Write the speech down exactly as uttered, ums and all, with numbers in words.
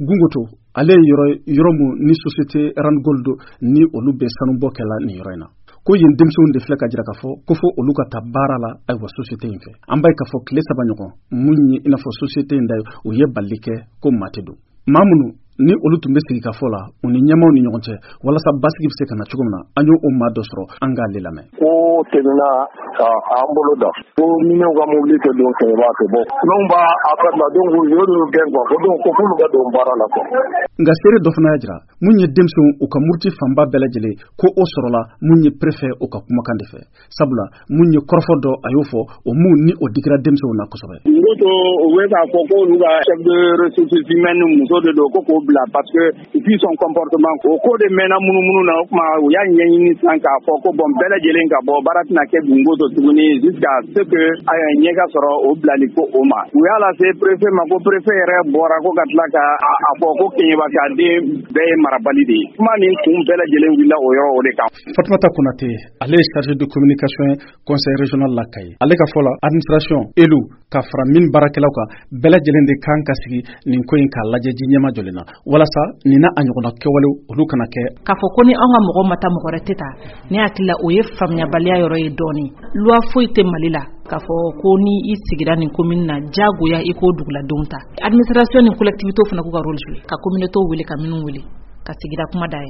Gungoto, ale ye yɔrɔ yɔrɔ mun ni société Randgold ni olu bɛ sanubɔ kɛla nin yɔrɔ in na, ko yen denmisɛnw de filɛ ka jira k'a fɔ ko fo olu ka taa baara la. Ayiwa, société in fɛ, an b'a ye k'a fɔ tile saba ɲɔgɔn, mun ye i n'a fɔ société in da ye, u ye balili kɛ ko maa tɛ don. Maa minnu ni olu tun bɛ sigi ka fɔ la u ni ɲɛmaw ni ɲɔgɔn cɛ walasa basigi bɛ se ka na cogo min na, an y'o o maa dɔ sɔrɔ, an k'ale lamɛn. Ko tɛmɛna ka an bolo da ko minɛnw ka mobili tɛ don Kɛɲɛba tɛ bɔ, minnu b'a affaire la, donc u y'olu gɛn quoi, ko donc ko f'olu ka don baara la quoi. Nka seere dɔ fana y'a jira, mun ye denmisɛnw u ka muruti fanba bɛɛ lajɛlen, ko o sɔrɔla mun ye préfet o ka kumakan de fɛ, sabula mun ye kɔrɔfɔ dɔ a y'o fɔ, o mun ni o digira denmisɛnw na kosɛbɛ. Ko u bɛ k'a fɔ ko olu ka chef de ressources humaines muso de don, ko k'o bila parce que vu son comportement, o ko de mɛnna munumunu na. O tuma u y'a ɲɛɲini sisan k'a fɔ ko bon, bɛɛ lajɛlen ka bɔ, baara tɛna kɛ Gungoto tuguni jusqu'à ce que ɲɛ ka sɔrɔ o bilali ko o ma. U y'a lase préfet ma, ko préfet yɛrɛ bɔra ko ka tila ka a fɔ ko Keɲeba ka den bɛɛ ye marabali de ye. Kuma nin kun bɛɛ lajɛlen wulila o yɔrɔ o de kan. Fatumata Konate, ale ye chargé de communication conseil régional la Kayi. Ale ka fɔ la, administration élu ka fara min baarakɛlaw kan, bɛɛ lajɛlen de kan ka sigi nin ko in k'a lajɛ ji ɲɛma jɔlen na, walasa nin n'a a ɲɔgɔnna kɛwalew olu kana kɛ. K'a fɔ ko ni anw ka mɔgɔ ma taa, mɔgɔ wɛrɛ tɛ taa, ne hakili la, o ye faamuyabaliya yɔrɔ ye dɔɔnin. Loi foyi tɛ Mali la k'a fɔ ko ni i sigira nin commune na, diyagoya i k'o duguladenw ta. Administration ni collectivité fana k'u ka rôle jouer, ka communauté wele, ka minnu wele ka sigida kuma dayɛlɛ.